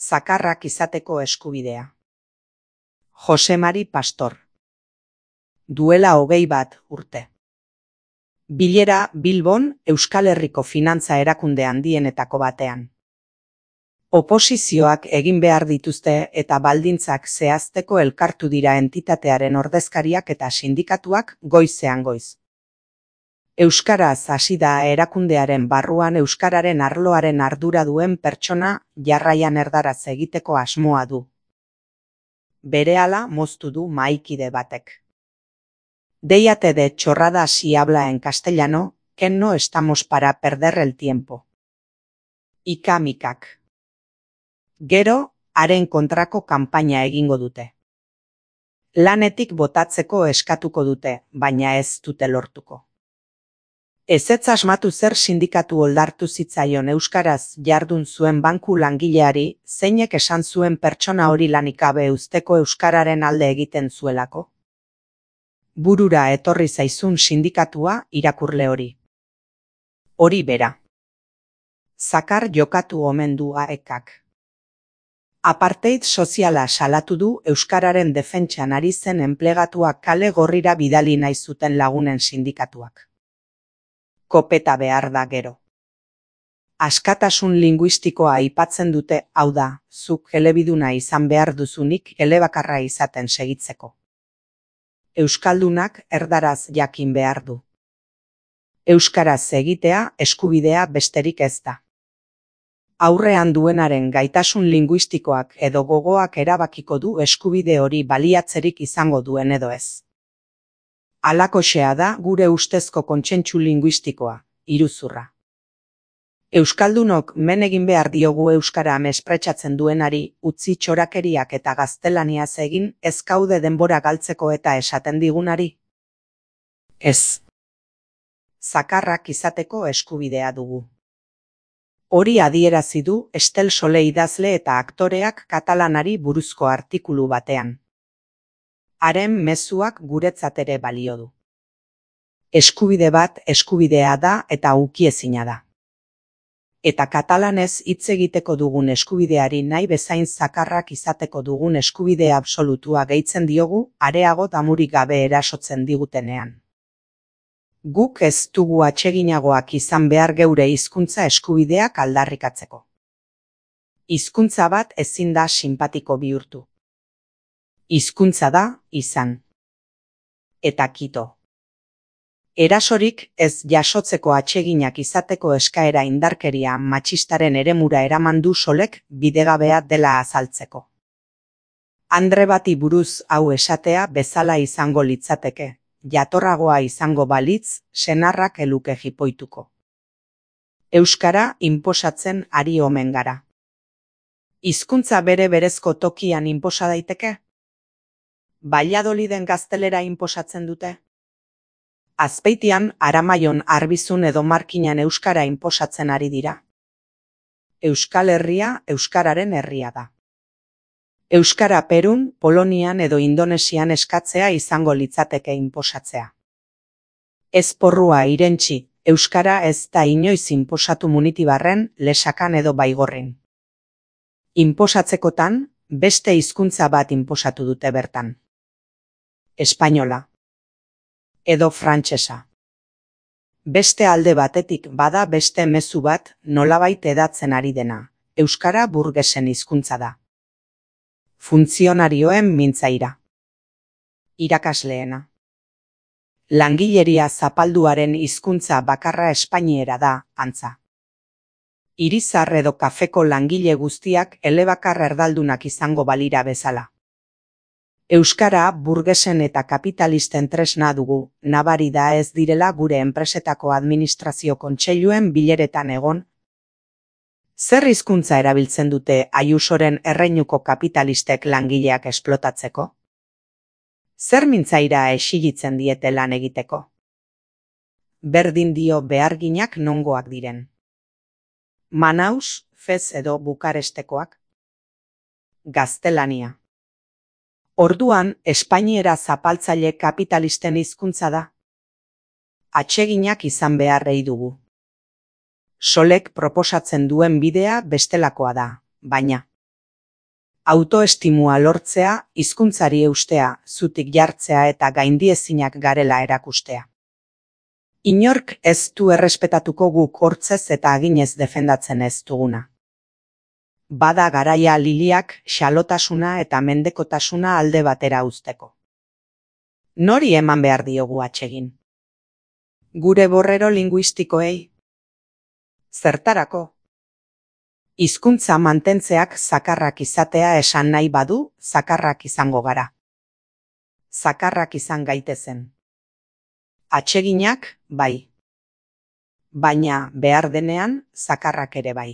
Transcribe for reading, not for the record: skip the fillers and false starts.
Zakarrak izateko eskubidea. Jose Mari Pastor. Duela 21 urte. Bilera Bilbon Euskal Herriko finantza erakunde handienetako batean. Oposizioak egin behar dituzte eta baldintzak zehazteko elkartu dira entitatearen ordezkariak eta sindikatuak goizean goiz. Euskaraz hasi da erakundearen barruan euskararen arloaren ardura duen pertsona jarraian erdaraz egiteko asmoa du. Berehala moztu du mahaikide batek. Déjate de chorradas y habla en castellano, que no estamos para perder el tiempo. Ika-mikak. Gero, haren kontrako kanpaina egingo dute. Lanetik botatzeko eskatuko dute, baina ez dute lortuko. Ezetz asmatu zer sindikatu oldartu zitzaion euskaraz jardun zuen banku langileari, zeinek esan zuen pertsona hori lanik gabe uzteko euskararen alde egiten zuelako. Burura etorri zaizun sindikatua irakurle hori. Hori bera. Zakar jokatu omen du AEKak. Apartheid soziala salatu du euskararen defentsan ari zen enplegatuak kale gorrira bidali nahi zuten lagunen sindikatuak. Kopeta behar da gero. Askatasun linguistikoa aipatzen dute, hau da, zuk elebiduna izan behar duzunik elebakarra izaten segitzeko. Euskaldunak erdaraz jakin behar du. Euskaraz egitea eskubidea besterik ez da. Aurrean duenaren gaitasun linguistikoak edo gogoak erabakiko du eskubide hori baliatzerik izango duen edo ez. Halakoxea da gure ustezko kontsentsu linguistikoa, iruzurra. Euskaldunok men egin behar diogu euskara mespretxatzen duenari, utzi txorakeriak eta gaztelaniaz egin, ez gaude denbora galtzeko eta esaten digunari? Ez. Zakarrak izateko eskubidea dugu. Hori adierazi du Estel Sole idazle eta aktoreak katalanari buruzko artikulu batean. Haren mezuak guretzat ere balio du. Eskubide bat eskubidea da eta ukiezina da. Eta katalanez hitz egiteko dugun eskubideari nahi bezain zakarrak izateko dugun eskubide absolutua gehitzen diogu, areago damurik gabe erasotzen digutenean. Guk ez dugu atseginagoak izan behar geure hizkuntza eskubideak aldarrikatzeko. Hizkuntza bat ezin da sinpatiko bihurtu. Hizkuntza da, izan. Eta kito. Erasorik ez jasotzeko atseginak izateko eskaera indarkeria matxistaren eremura eraman du Solek bidegabea dela azaltzeko. Andre bati buruz hau esatea bezala izango litzateke, jatorragoa izango balitz, senarrak eluke jipoituko. Euskara inposatzen ari omen gara. Hizkuntza bere berezko tokian inposa daiteke? Valladoliden gaztelera inposatzen dute? Azpeitian Aramaion Arbizun edo Markinan euskara inposatzen ari dira. Euskal Herria euskararen herria da. Euskara Perun, Polonian edo Indonesian eskatzea izango litzateke inposatzea. Ez porrua irentsi, euskara ez da inoiz inposatu Munitibarren, Lesakan edo Baigorrin. Inposatzekotan, beste hizkuntza bat inposatu dute bertan. Espainola. Edo frantsesa. Beste alde batetik bada beste mezu bat nolabait edatzen ari dena, euskara burgesen hizkuntza da. Funtzionarioen mintzaira. Irakasleena. Langileria zapalduaren hizkuntza bakarra espainiera da, antza. Irizar edo kafeko langile guztiak elebakar erdaldunak izango balira bezala. Euskara burgesen eta kapitalisten tresna dugu, nabari da ez direla gure enpresetako administrazio kontseiluen bileretan egon. Zer hizkuntza erabiltzen dute Ayusoren erreinuko kapitalistek langileak esplotatzeko? Zer mintzaira exigitzen diete lan egiteko? Berdin dio beharginak nongoak diren. Manaus, Fez edo Bukarestekoak? Gaztelania. Orduan, espainiera zapaltzaile kapitalisten hizkuntza da. Atseginak izan beharrei dugu. Solek proposatzen duen bidea bestelakoa da, baina Autoestimua lortzea, hizkuntzari eustea, zutik jartzea eta gaindiezinak garela erakustea. Inork ez du errespetatuko guk hortzez eta aginez defendatzen ez duguna. Bada garaia liliak xalotasuna eta mendekotasuna alde batera uzteko. Nori eman behar diogu atsegin? Gure borrero linguistikoei? Zertarako? Hizkuntza mantentzeak zakarrak izatea esan nahi badu, zakarrak izango gara. Zakarrak izan gaitezen. Atseginak, bai. Baina behar denean, zakarrak ere bai.